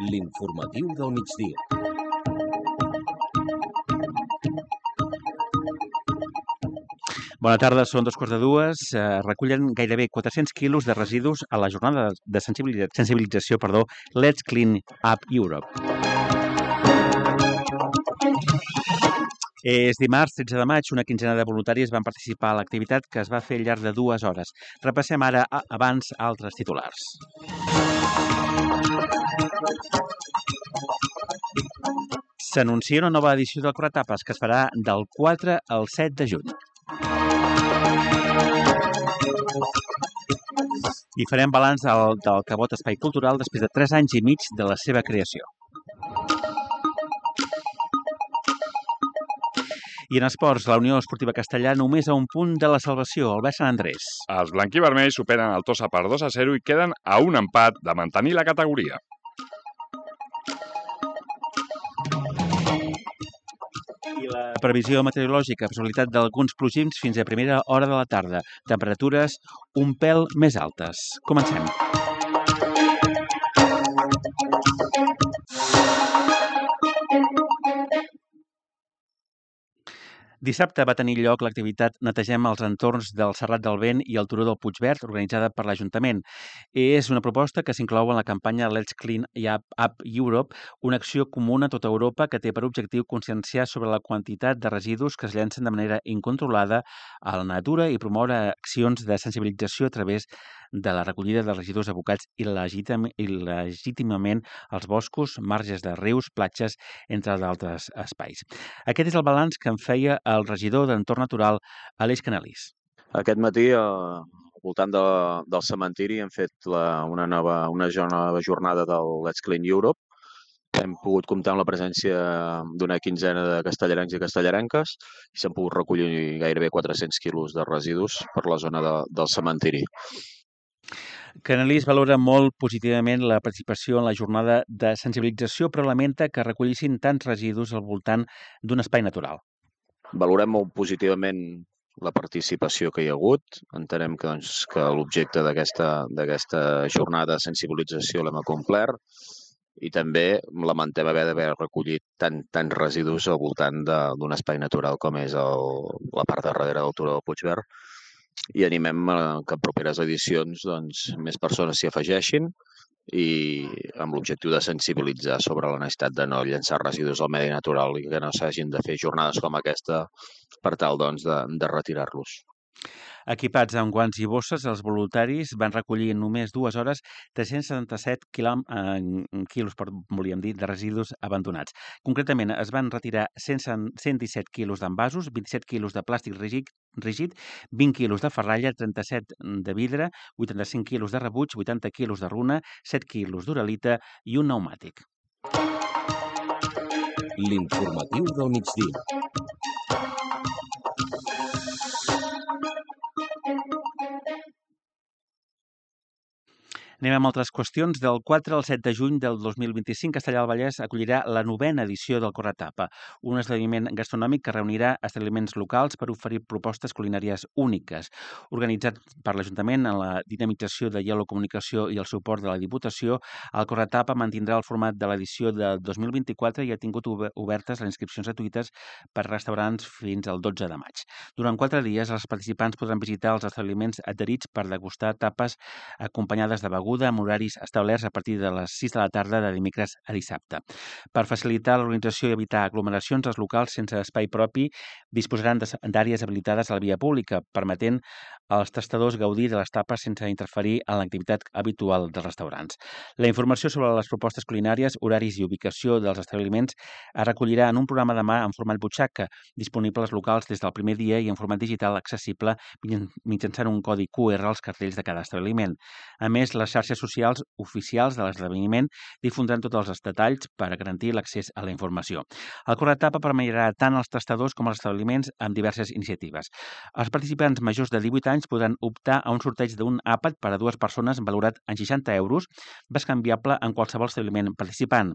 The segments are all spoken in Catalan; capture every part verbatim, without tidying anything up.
L'informatiu del migdia. Bona tarda, són dos quarts de dues. Eh, recullen gairebé quatre-cents quilos de residus a la jornada de sensibilització, sensibilització perdó, Let's Clean Up Europe. És dimarts, tretze de maig, una quinzena de voluntaris van participar a l'activitat que es va fer al llarg de dues hores. Repassem ara a, abans altres titulars. S'anuncia una nova edició del Corretapes que es farà del quatre al set de juny. I farem balanç del, del Cabot Espai Cultural després de tres anys i mig de la seva creació. I en esports, la Unió Esportiva Castellà només a un punt de la salvació, el Sant Andrés. Els blanquivermells superen el Tossa per dos a zero i queden a un empat de mantenir la categoria. I la previsió meteorològica, possibilitat d'alguns plogims fins a primera hora de la tarda. Temperatures un pèl més altes. Comencem. Dissabte va tenir lloc l'activitat Netegem els entorns del Serrat del Vent i el Turó del Puigverd, organitzada per l'Ajuntament. És una proposta que s'inclou en la campanya Let's Clean Up Europe, una acció comuna a tota Europa que té per objectiu conscienciar sobre la quantitat de residus que es llencen de manera incontrolada a la natura i promoure accions de sensibilització a través de la recollida de residus abocats il·legítim, il·legítimament als boscos, marges de rius, platges, entre d'altres espais. Aquest és el balanç que en feia el regidor d'Entorn Natural, Aleix Canalís. Aquest matí, al voltant de, del cementiri, hem fet la, una, nova, una nova jornada del Let's Clean Europe. Hem pogut comptar amb la presència d'una quinzena de castellarencs i castellarenques i s'han pogut recollir gairebé quatre-cents quilos de residus per la zona de, del cementiri. Canalís valora molt positivament la participació en la jornada de sensibilització, però lamenta que recollissin tants residus al voltant d'un espai natural. Valorem molt positivament la participació que hi ha hagut. Entenem que, doncs, que l'objecte d'aquesta jornada de sensibilització l'hem acomplert i també lamentem haver d'haver recollit tant, tants residus al voltant d'un espai natural com és el, la part de darrere del Turó del Puigverd. I animem que en properes edicions doncs, més persones s'hi afegeixin i amb l'objectiu de sensibilitzar sobre la necessitat de no llançar residus al medi natural i que no s'hagin de fer jornades com aquesta per tal doncs, de, de retirar-los. Equipats amb guants i bosses, els voluntaris van recollir en només dues hores tres-cents setanta-set quilos, volíem dir, de residus abandonats. Concretament, es van retirar cent disset quilos d'envasos, vint-i-set quilos de plàstic rígid, rígid, vint quilos de ferralla, trenta-set de vidre, vuitanta-cinc quilos de rebuig, vuitanta quilos de runa, set quilos d'uralita i un pneumàtic. L'informatiu del migdia. Anem amb altres qüestions. Del quatre al set de juny del dos mil vint-i-cinc, Castellar del Vallès acollirà la novena edició del Corretapa, un esdeveniment gastronòmic que reunirà establiments locals per oferir propostes culinàries úniques. Organitzat per l'Ajuntament en la dinamització de Yellow Comunicació i el suport de la Diputació, el Corretapa mantindrà el format de l'edició de dos mil vint-i-quatre i ha tingut obertes les inscripcions gratuïtes per restaurants fins al dotze de maig. Durant quatre dies, els participants podran visitar els establiments adherits per degustar tapes acompanyades de begudes amb horaris establerts a partir de les sis de la tarda de dimecres a dissabte. Per facilitar l'organització i evitar aglomeracions, els locals sense espai propi disposaran d'àrees habilitades a la via pública, permetent als tastadors gaudir de les tapes sense interferir en l'activitat habitual dels restaurants. La informació sobre les propostes culinàries, horaris i ubicació dels establiments es recollirà en un programa de mà en format butxaca, disponible als locals des del primer dia i en format digital accessible mitjançant un codi Q R als cartells de cada establiment. A més, les xarxes socials oficials de l'esdeveniment difondran tots els detalls per a garantir l'accés a la informació. El Corretapa permetrà tant als tastadors com als establiments amb diverses iniciatives. Els participants majors de divuit anys establiments podran optar a un sorteig d'un àpat per a dues persones valorat en seixanta euros, bescanviable en qualsevol establiment participant.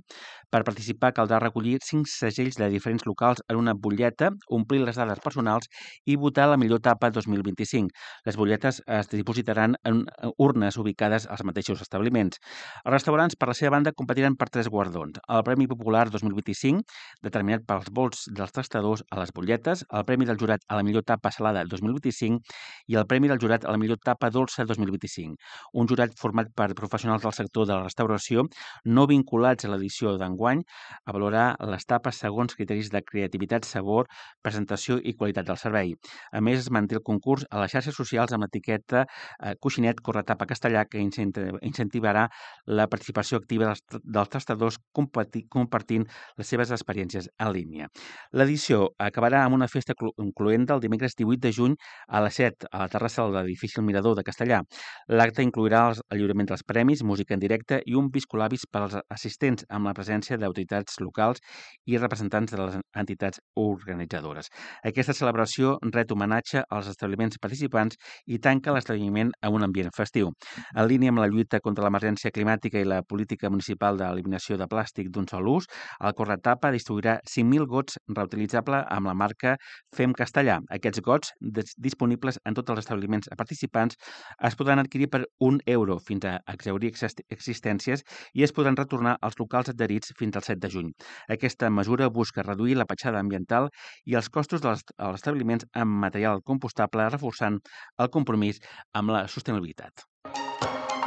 Per participar caldrà recollir cinc segells de diferents locals en una butlleta, omplir les dades personals i votar la millor tapa dos mil vint-i-cinc. Les butlletes es dipositaran en urnes ubicades als mateixos establiments. Els restaurants, per la seva banda, competiran per tres guardons. El Premi Popular dos mil vint-i-cinc, determinat pels vots dels tastadors a les butlletes, el Premi del Jurat a la millor tapa salada dos mil vint-i-cinc i el Premi del Jurat a la millor tapa dolça dos mil vint-i-cinc. Un jurat format per professionals del sector de la restauració no vinculats a l'edició d'enguany a valorar les tapes segons criteris de creativitat, sabor, presentació i qualitat del servei. A més, es manté el concurs a les xarxes socials amb l'etiqueta eh, Coixinet Corretapa Castellà, que incentivarà la participació activa dels, dels tastadors compartint les seves experiències en línia. L'edició acabarà amb una festa incloent el dimecres divuit de juny a les set a la terrassa de l'edifici El Mirador de Castellà. L'acte inclourà el lliurament dels premis, música en directe i un piscolabis per als assistents amb la presència d'autoritats locals i representants de les entitats organitzadores. Aquesta celebració ret homenatge als establiments participants i tanca l'esdeveniment amb un ambient festiu. En línia amb la lluita contra l'emergència climàtica i la política municipal d'eliminació de plàstic d'un sol ús, el Corretapa distribuirà cinc mil gots reutilitzables amb la marca Fem Castellà. Aquests gots, disponibles en tots els establiments participants, es podran adquirir per un euro fins a exhaurir existències i es podran retornar als locals adherits fins al set de juny. Aquesta mesura busca reduir la petjada ambiental i els costos dels establiments amb material compostable, reforçant el compromís amb la sostenibilitat.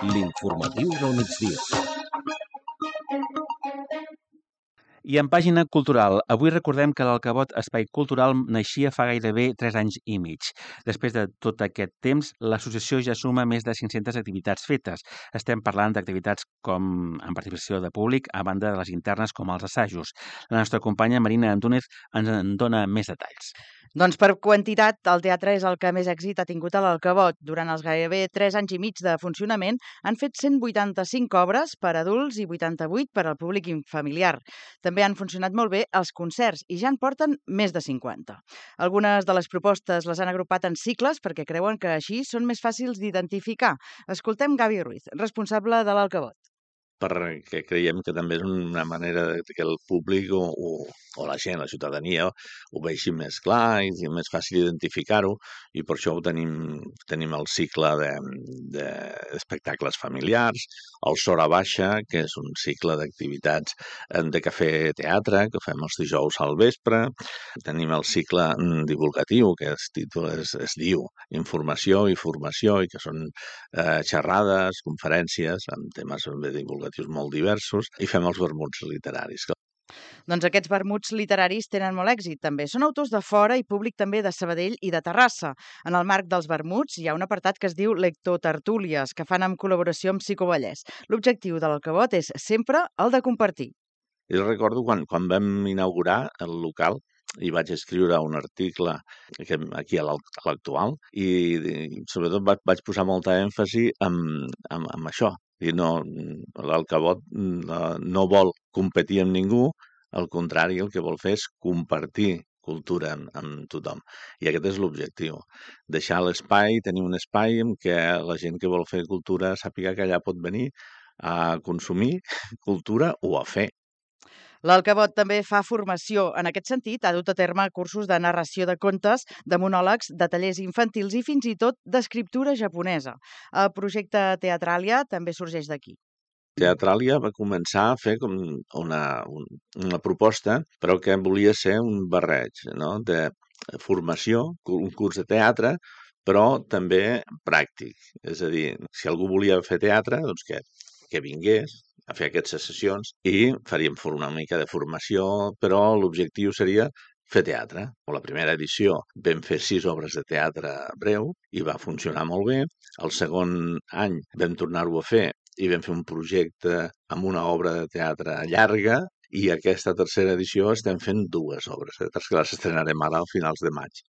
L'informatiu del migdia. I en pàgina cultural, avui recordem que l'Alcavot Espai Cultural naixia fa gairebé tres anys i mig. Després de tot aquest temps, l'associació ja suma més de cinc-centes activitats fetes. Estem parlant d'activitats com en participació de públic, a banda de les internes com els assajos. La nostra companya Marina Antúnez ens en dona més detalls. Doncs per quantitat, el teatre és el que més èxit ha tingut a l'Alcavot. Durant els gairebé tres anys i mig de funcionament han fet cent vuitanta-cinc obres per adults i vuitanta-vuit per al públic familiar. També han funcionat molt bé els concerts i ja en porten més de cinquanta. Algunes de les propostes les han agrupat en cicles perquè creuen que així són més fàcils d'identificar. Escoltem Gavi Ruiz, responsable de l'Alcavot. Perquè creiem que també és una manera que el públic o, o, o la gent, la ciutadania, ho vegi més clar i és més fàcil identificar-ho i per això ho tenim, tenim el cicle d'espectacles de, de familiars, el Sora Baixa, que és un cicle d'activitats de cafè teatre, que fem els dijous al vespre, tenim el cicle divulgatiu, que es, títol, es, es diu Informació i Formació, i que són eh, xerrades, conferències amb temes divulgatius molt diversos, i fem els vermuts literaris. Doncs aquests vermuts literaris tenen molt èxit, també. Són autors de fora i públic també de Sabadell i de Terrassa. En el marc dels vermuts hi ha un apartat que es diu Lectotertúlies, que fan en col·laboració amb Psicovallès. L'objectiu de l'Alcavot és sempre el de compartir. Jo recordo quan, quan vam inaugurar el local, i vaig escriure un article aquí a l'Actual i, i sobretot vaig posar molta èmfasi en, en, en això. I no, l'Alcavot no vol competir amb ningú, al contrari, el que vol fer és compartir cultura amb, amb tothom. I aquest és l'objectiu. Deixar l'espai, tenir un espai en què la gent que vol fer cultura sàpiga que allà pot venir a consumir cultura o a fer. L'Alcavot també fa formació. En aquest sentit, ha dut a terme cursos de narració de contes, de monòlegs, de tallers infantils i fins i tot d'escriptura japonesa. El projecte Teatràlia també sorgeix d'aquí. Teatràlia va començar a fer com una, una proposta, però que volia ser un barreig, no? De formació, un curs de teatre, però també pràctic. És a dir, si algú volia fer teatre, doncs que, que vingués a fer aquestes sessions i faríem una mica de formació, però l'objectiu seria fer teatre. La primera edició vam fer sis obres de teatre breu i va funcionar molt bé. El segon any vam tornar-ho a fer i vam fer un projecte amb una obra de teatre llarga i aquesta tercera edició estem fent dues obres de teatre que les estrenarem ara a finals de maig.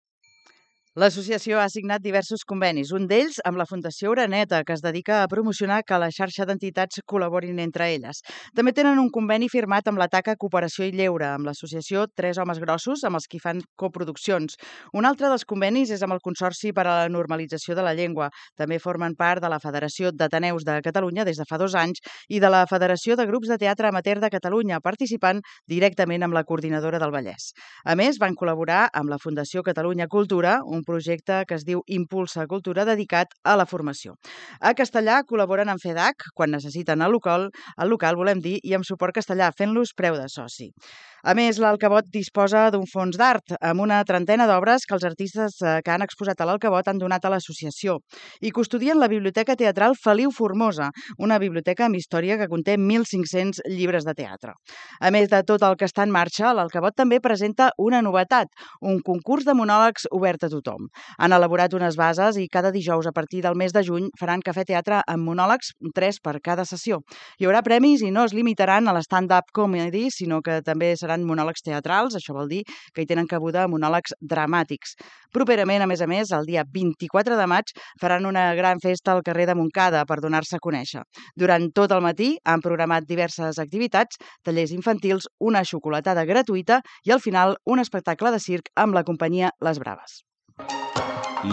L'associació ha signat diversos convenis, un d'ells amb la Fundació Oreneta, que es dedica a promocionar que la xarxa d'entitats col·laborin entre elles. També tenen un conveni firmat amb la Taca Cooperació i Lleure, amb l'associació Tres Homes Grossos, amb els qui fan coproduccions. Un altre dels convenis és amb el Consorci per a la Normalització de la Llengua. També formen part de la Federació d'Ateneus de Catalunya des de fa dos anys i de la Federació de Grups de Teatre Amateur de Catalunya, participant directament amb la Coordinadora del Vallès. A més, van col·laborar amb la Fundació Catalunya Cultura, un projecte que es diu Impulsa Cultura dedicat a la formació. A Castellà col·laboren amb FEDAC quan necessiten el local, el local volem dir, i amb Suport Castellà, fent-los preu de soci. A més, l'Alcavot disposa d'un fons d'art amb una trentena d'obres que els artistes que han exposat a l'Alcavot han donat a l'associació i custodien la Biblioteca Teatral Feliu Formosa, una biblioteca amb història que conté mil cinc-cents llibres de teatre. A més de tot el que està en marxa, l'Alcavot també presenta una novetat, un concurs de monòlegs obert a tothom. Han elaborat unes bases i cada dijous a partir del mes de juny faran cafè teatre amb monòlegs, tres per cada sessió. Hi haurà premis i no es limitaran a l'stand-up comedy, sinó que també seran monòlegs teatrals, això vol dir que hi tenen cabuda monòlegs dramàtics. Properament, a més a més, el dia vint-i-quatre de maig faran una gran festa al carrer de Montcada per donar-se a conèixer. Durant tot el matí han programat diverses activitats, tallers infantils, una xocolatada gratuïta i al final un espectacle de circ amb la companyia Les Braves.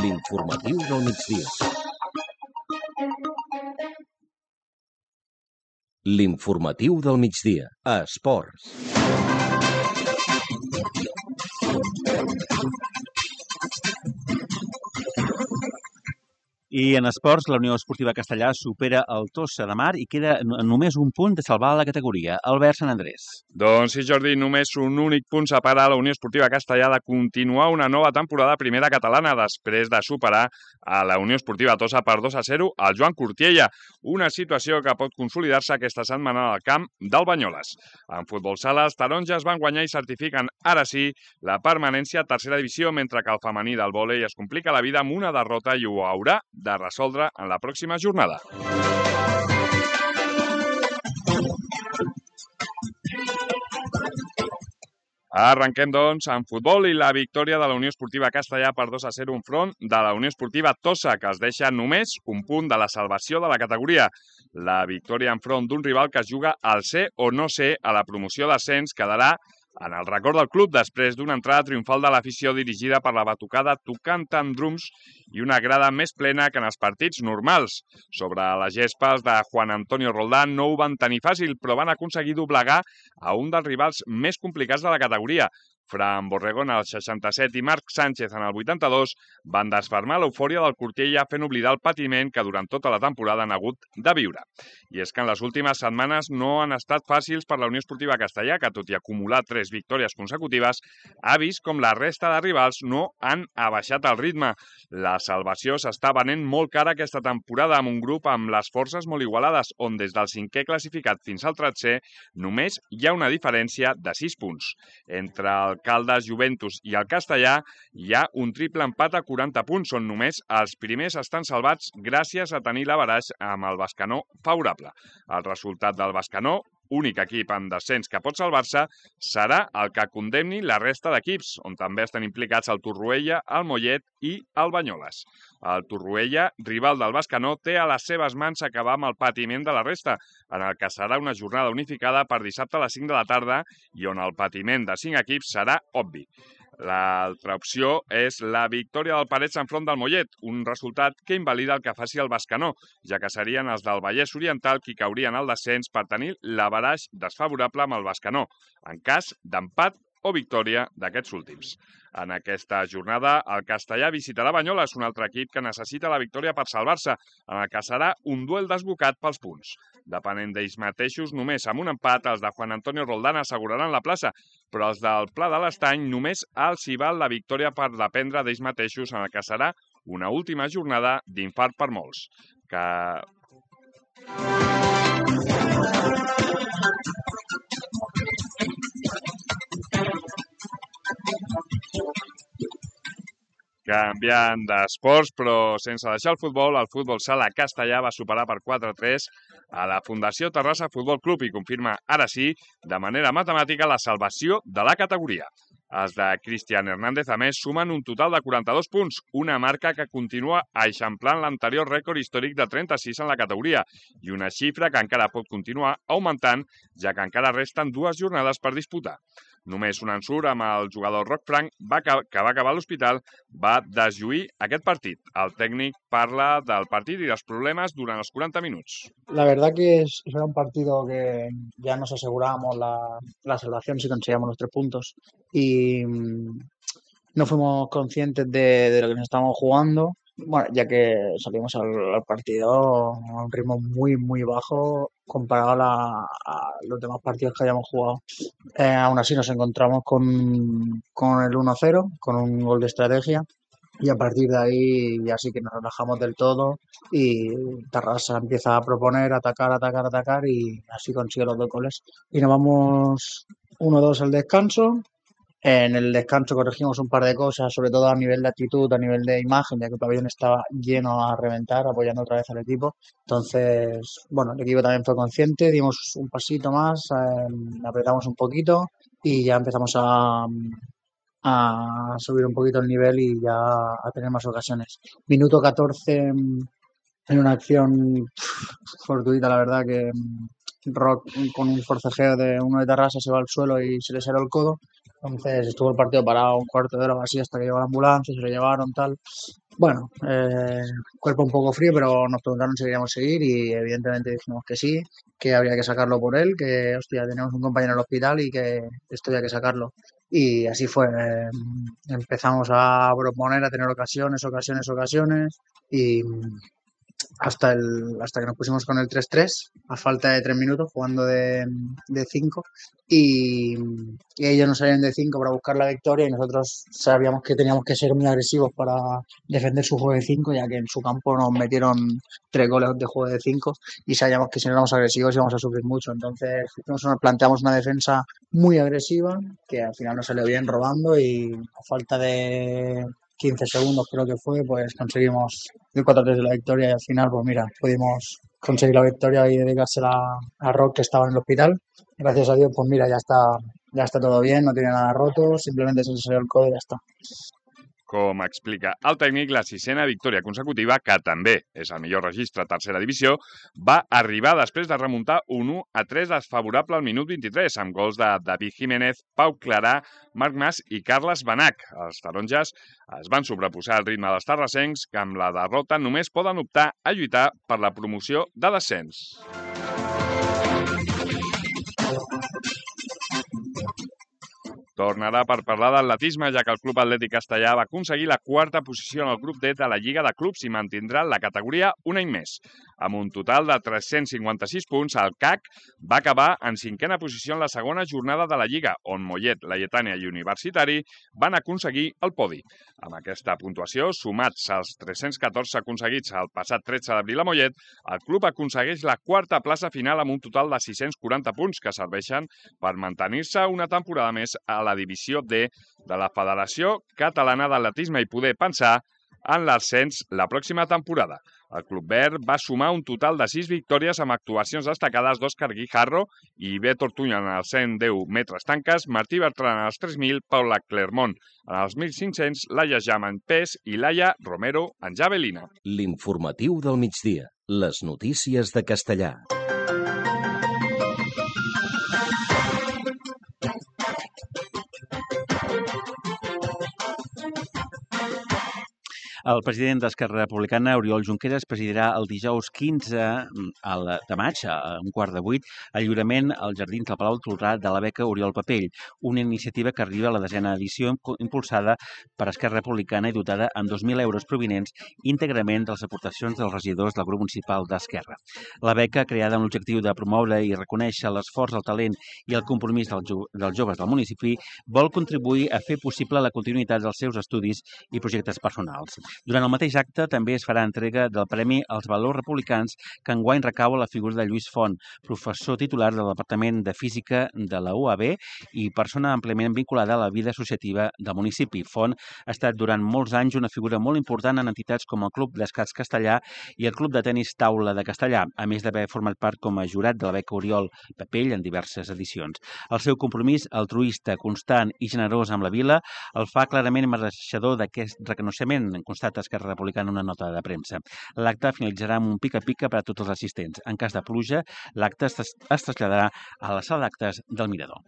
L'informatiu del migdia. L'informatiu del migdia. A Esports. I en esports, la Unió Esportiva Castellà supera el Tossa de Mar i queda només un punt de salvar la categoria. Albert Sant Andrés. Doncs sí, Jordi, només un únic punt separa la Unió Esportiva Castellà de continuar una nova temporada a primera catalana després de superar a la Unió Esportiva Tossa per dos a zero al Joan Cortiella, una situació que pot consolidar-se aquesta setmana al camp del Banyoles. En futbol sala, els taronges van guanyar i certifiquen ara sí la permanència a tercera divisió, mentre que el femení del vòlei es complica la vida amb una derrota i ho haurà de resoldre en la pròxima jornada. Arrenquem, doncs, en futbol i la victòria de la Unió Esportiva Castellà per dos a zero enfront de la Unió Esportiva Tossa, que es deixa només un punt de la salvació de la categoria. La victòria enfront d'un rival que es juga al ser o no ser a la promoció d'ascens quedarà en el record del club després d'una entrada triomfal de l'afició dirigida per la batucada tocant amb drums i una grada més plena que en els partits normals. Sobre les gespes de Juan Antonio Roldán no ho van tenir fàcil, però van aconseguir doblegar a un dels rivals més complicats de la categoria. Fran Borregón al seixanta-set i Marc Sánchez en el vuitanta-dos van desfermar l'eufòria del Cortiella fent oblidar el patiment que durant tota la temporada han hagut de viure. I és que en les últimes setmanes no han estat fàcils per la Unió Esportiva Castellà, que tot i acumular tres victòries consecutives, ha vist com la resta de rivals no han abaixat el ritme. La salvació s'està venent molt cara aquesta temporada amb un grup amb les forces molt igualades, on des del cinquè classificat fins al tretzè només hi ha una diferència de sis punts. Entre el Caldes, Juventus i el Castellà hi ha un triple empat a quaranta punts, on només els primers estan salvats gràcies a tenir l'averaix amb el Bescanó favorable. El resultat del Bescanó, únic equip en descens que pot salvar-se, serà el que condemni la resta d'equips, on també estan implicats el Torroella, el Mollet i el Banyoles. El Torroella, rival del Bescanó, té a les seves mans acabar amb el patiment de la resta, en el que serà una jornada unificada per dissabte a les cinc de la tarda i on el patiment de cinc equips serà obvi. L'altra opció és la victòria del Parets enfront del Mollet, un resultat que invalida el que faci el Bescanó, ja que serien els del Vallès Oriental qui caurien al descens per tenir l'averaix desfavorable amb el Bescanó, en cas d'empat o victòria d'aquests últims. En aquesta jornada, el Castellà visitarà Banyoles, un altre equip que necessita la victòria per salvar-se, en el que serà un duel desbocat pels punts. Depenent d'ells mateixos, només amb un empat, els de Juan Antonio Roldán asseguraran la plaça, però els del Pla de l'Estany només els hi val la victòria per dependre d'ells mateixos, en el que serà una última jornada d'infart per molts. Que... Canviant d'esports, però sense deixar el futbol, el futbol sala castellà va superar per quatre a tres a la Fundació Terrassa Futbol Club i confirma, ara sí, de manera matemàtica, la salvació de la categoria. Els de Cristian Hernández, a més, sumen un total de quaranta-dos punts, una marca que continua eixamplant l'anterior rècord històric de trenta-sis en la categoria i una xifra que encara pot continuar augmentant, ja que encara resten dues jornades per disputar. Només un ensurt amb el jugador Roc Frank, que va acabar a l'hospital, va deslluir aquest partit. El tècnic parla del partit y los problemas durante los cuarenta minutos. La verdad que es, era un partido que ya nos asegurábamos la, la salvación si conseguíamos los tres puntos y mmm, no fuimos conscientes de, de lo que nos estábamos jugando. Bueno, ya que salimos al, al partido a un ritmo muy, muy bajo comparado a, la, a los demás partidos que hayamos jugado. Eh, aún así nos encontramos con, con el uno cero, con un gol de estrategia. Y a partir de ahí ya sí que nos relajamos del todo y Tarrasa empieza a proponer, atacar, atacar, atacar y así consigue los dos goles. Y nos vamos uno dos al descanso. En el descanso corregimos un par de cosas, sobre todo a nivel de actitud, a nivel de imagen, ya que el pabellón estaba lleno a reventar, apoyando otra vez al equipo. Entonces, bueno, el equipo también fue consciente, dimos un pasito más, eh, apretamos un poquito y ya empezamos a... a subir un poquito el nivel y ya a tener más ocasiones. Minuto catorce en una acción fortuita, la verdad, que Rock con un forcejeo de uno de Tarrasa se va al suelo y se le cerró el codo. Entonces estuvo el partido parado un cuarto de hora o así hasta que llegó la ambulancia, se lo llevaron, tal. Bueno, eh, cuerpo un poco frío, pero nos preguntaron si queríamos seguir y evidentemente dijimos que sí, que habría que sacarlo por él, que hostia, tenemos un compañero en el hospital y que esto había que sacarlo. Y así fue, eh, empezamos a proponer, a tener ocasiones, ocasiones, ocasiones y hasta el hasta que nos pusimos con el tres tres a falta de tres minutos jugando de cinco y, y ellos nos salieron de cinco para buscar la victoria y nosotros sabíamos que teníamos que ser muy agresivos para defender su juego de cinco, ya que en su campo nos metieron tres goles de juego de cinco y sabíamos que si no éramos agresivos íbamos a sufrir mucho. Entonces nos planteamos una defensa muy agresiva que al final nos salió bien robando y a falta de quince segundos creo que fue, pues conseguimos el cuatro tres de la victoria y al final, pues mira, pudimos conseguir la victoria y dedicársela a Rock, que estaba en el hospital. Gracias a Dios, pues mira, ya está, ya está todo bien, no tiene nada roto, simplemente se le salió el codo y ya está. Com explica el tècnic, la sisena victòria consecutiva, que també és el millor registre a tercera divisió, va arribar després de remuntar un u a tres desfavorable al minut vint-i-tres, amb gols de David Jiménez, Pau Clarà, Marc Mas i Carles Benach. Els taronges es van sobreposar al ritme dels tarrasencs, que amb la derrota només poden optar a lluitar per la promoció de descens. Tornarà per parlar d'atletisme, ja que el Club Atlètic Castellà va aconseguir la quarta posició en el grup D de la Lliga de Clubs i mantindrà la categoria un any més. Amb un total de tres-cents cinquanta-sis punts, el C A C va acabar en cinquena posició en la segona jornada de la Lliga, on Mollet, Laietània i Universitari van aconseguir el podi. Amb aquesta puntuació, sumats als tres-cents catorze aconseguits el passat tretze d'abril a Mollet, el club aconsegueix la quarta plaça final amb un total de sis-cents quaranta punts que serveixen per mantenir-se una temporada més a la divisió D de la Federació Catalana d'Atletisme i poder pensar en l'ascens la pròxima temporada. El Club Verd va sumar un total de sis victòries amb actuacions destacades d'Òscar Guijarro i Bé Tortunya en els cent deu metres tanques, Martí Bertran en els tres mil, Paula Clermont en els mil cinc-cents, Laia Jam en pes i Laia Romero en javelina. L'informatiu del migdia. Les notícies de Castellà. El president d'Esquerra Republicana, Oriol Junqueras, presidirà el dijous quinze de maig, a un quart de vuit, el lliurament als jardins del Palau Tolrà de la beca Oriol Papell, una iniciativa que arriba a la desena edició impulsada per Esquerra Republicana i dotada amb dos mil euros provinents íntegrament de les aportacions dels regidors del grup municipal d'Esquerra. La beca, creada amb l'objectiu de promoure i reconèixer l'esforç, el talent i el compromís dels, jo dels joves del municipi, vol contribuir a fer possible la continuïtat dels seus estudis i projectes personals. Durant el mateix acte també es farà entrega del Premi als Valors Republicans que enguany recau a la figura de Lluís Font, professor titular del Departament de Física de la U A B i persona àmpliament vinculada a la vida associativa del municipi. Font ha estat durant molts anys una figura molt important en entitats com el Club d'Escacs Castellà i el Club de Tenis Taula de Castellà, a més d'haver format part com a jurat de la beca Oriol Papell en diverses edicions. El seu compromís altruista, constant i generós amb la vila el fa clarament mereixedor d'aquest reconeixement, constata Esquerra Republicana en una nota de premsa. L'acte finalitzarà amb un pica-pica per a tots els assistents. En cas de pluja, l'acte es traslladarà a la sala d'actes del Mirador.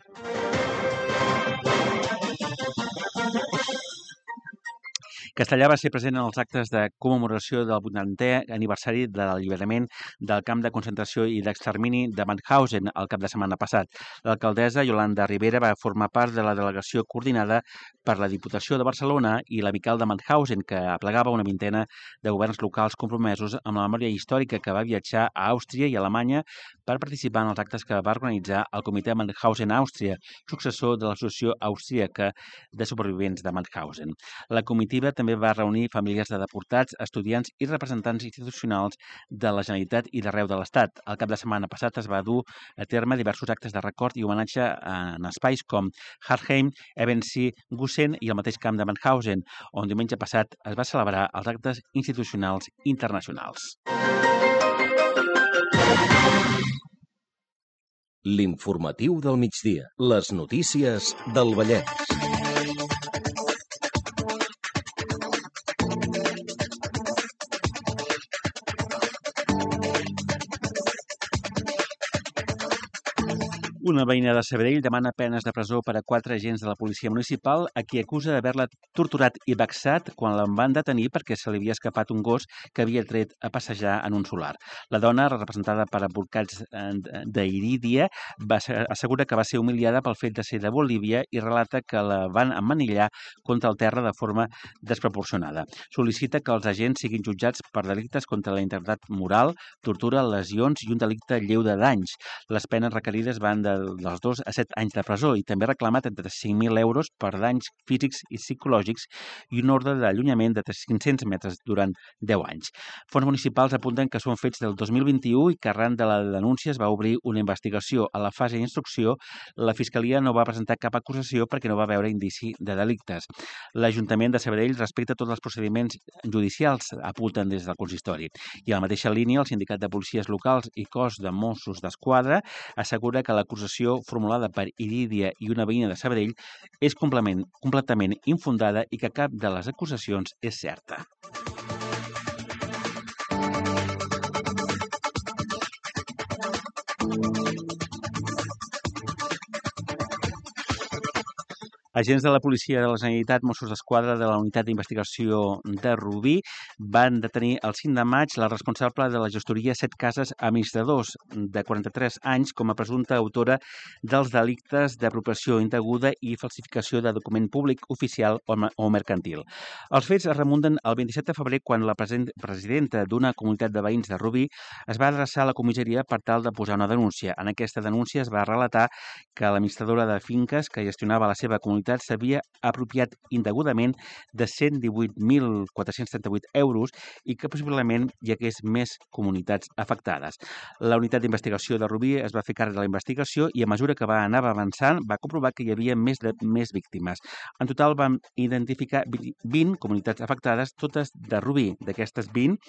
Castellà va ser present en els actes de commemoració del vuitantè aniversari de l'alliberament del camp de concentració i d'extermini de Mauthausen el cap de setmana passat. L'alcaldessa Yolanda Rivera va formar part de la delegació coordinada per la Diputació de Barcelona i l'Amical de Mauthausen, que aplegava una vintena de governs locals compromesos amb la memòria històrica, que va viatjar a Àustria i Alemanya per participar en els actes que va organitzar el Comitè Mauthausen-Àustria, successor de l'Associació Austríaca de Supervivents de Mauthausen. La comitiva també va reunir famílies de deportats, estudiants i representants institucionals de la Generalitat i d'arreu de l'Estat. El cap de setmana passat es va dur a terme diversos actes de record i homenatge en espais com Hartheim, Ebensee, Gusen i el mateix camp de Mauthausen, on diumenge passat es va celebrar els actes institucionals internacionals. L'informatiu del migdia. Les notícies del Vallès. Una veïna de Sabadell demana penes de presó per a quatre agents de la policia municipal a qui acusa d'haver-la torturat i vexat quan la van detenir perquè se li havia escapat un gos que havia tret a passejar en un solar. La dona, representada per advocats d'Irídia, assegura que va ser humiliada pel fet de ser de Bolívia i relata que la van emmanillar contra el terra de forma desproporcionada. Sol·licita que els agents siguin jutjats per delictes contra la integritat moral, tortura, lesions i un delicte lleu de danys. Les penes requerides van de dels dos a set anys de presó i també reclama trenta-cinc mil euros per danys físics i psicològics i un ordre d'allunyament de cinc-cents metres durant deu anys. Fons municipals apunten que són fets del dos mil vint-i-u i que arran de la denúncia es va obrir una investigació. A la fase d'instrucció, la Fiscalia no va presentar cap acusació perquè no va veure indici de delictes. L'Ajuntament de Sabadell respecta tots els procediments judicials, apunten des del consistori. I a la mateixa línia, el Sindicat de Policies Locals i Cos de Mossos d'Esquadra assegura que l'acusació formulada per Irídia i una veïna de Sabadell és completament, completament infundada i que cap de les acusacions és certa. Agents de la Policia de la Generalitat, Mossos d'Esquadra de la Unitat d'Investigació de Rubí van detenir el cinc de maig la responsable de la gestoria Set Cases Administradors, de quaranta-tres anys, com a presumpta autora dels delictes d'apropiació indeguda i falsificació de document públic oficial o mercantil. Els fets es remunten el vint-i-set de febrer, quan la presidenta d'una comunitat de veïns de Rubí es va adreçar a la comissaria per tal de posar una denúncia. En aquesta denúncia es va relatar que l'administradora de finques que gestionava la seva comunitat s'havia apropiat indegudament de cent divuit mil quatre-cents trenta-vuit euros i que possiblement hi hagués més comunitats afectades. La unitat d'investigació de Rubí es va fer càrrec de la investigació i a mesura que va anar avançant va comprovar que hi havia més de més víctimes. En total vam identificar vint comunitats afectades, totes de Rubí. D'aquestes vint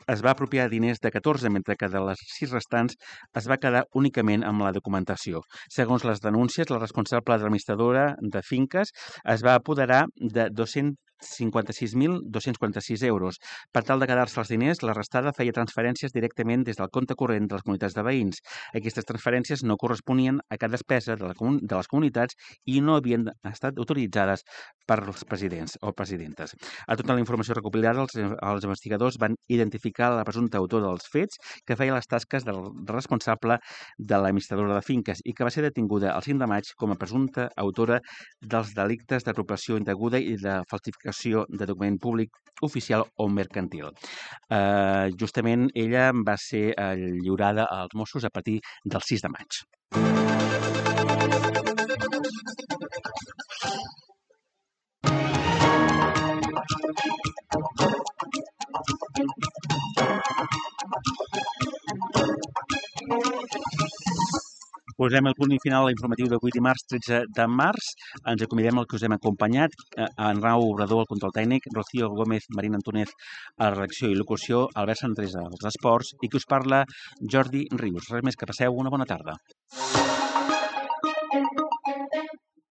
es va apropiar diners de catorze, mentre que de les sis restants es va quedar únicament amb la documentació. Segons les denúncies, la responsable administradora de finques es va apoderar de dos-cents cinquanta-sis mil dos-cents quaranta-sis euros. Per tal de quedar-se els diners, la restada feia transferències directament des del compte corrent de les comunitats de veïns. Aquestes transferències no corresponien a cap despesa de, la, de les comunitats i no havien estat autoritzades per als presidents o presidentes. A tota la informació recopilada, els, els investigadors van identificar la presumpta autor dels fets, que feia les tasques del responsable de l'administradora de finques i que va ser detinguda el cinc de maig com a presumpta autora dels delictes d'apropiació indeguda i de falsificació de document públic oficial o mercantil. Uh, justament ella va ser uh, lliurada als Mossos a partir del sis de maig. Posem el punt final a l'informatiu d'avui dimarts tretze de març. Ens acomiadem el que us hem acompanyat. En Rau Obrador, el control tècnic, Rocío Gómez, Marina Antúnez, a la redacció i locució, Albert Santresa, als esports, i que us parla Jordi Rius. Res més, que passeu una bona tarda.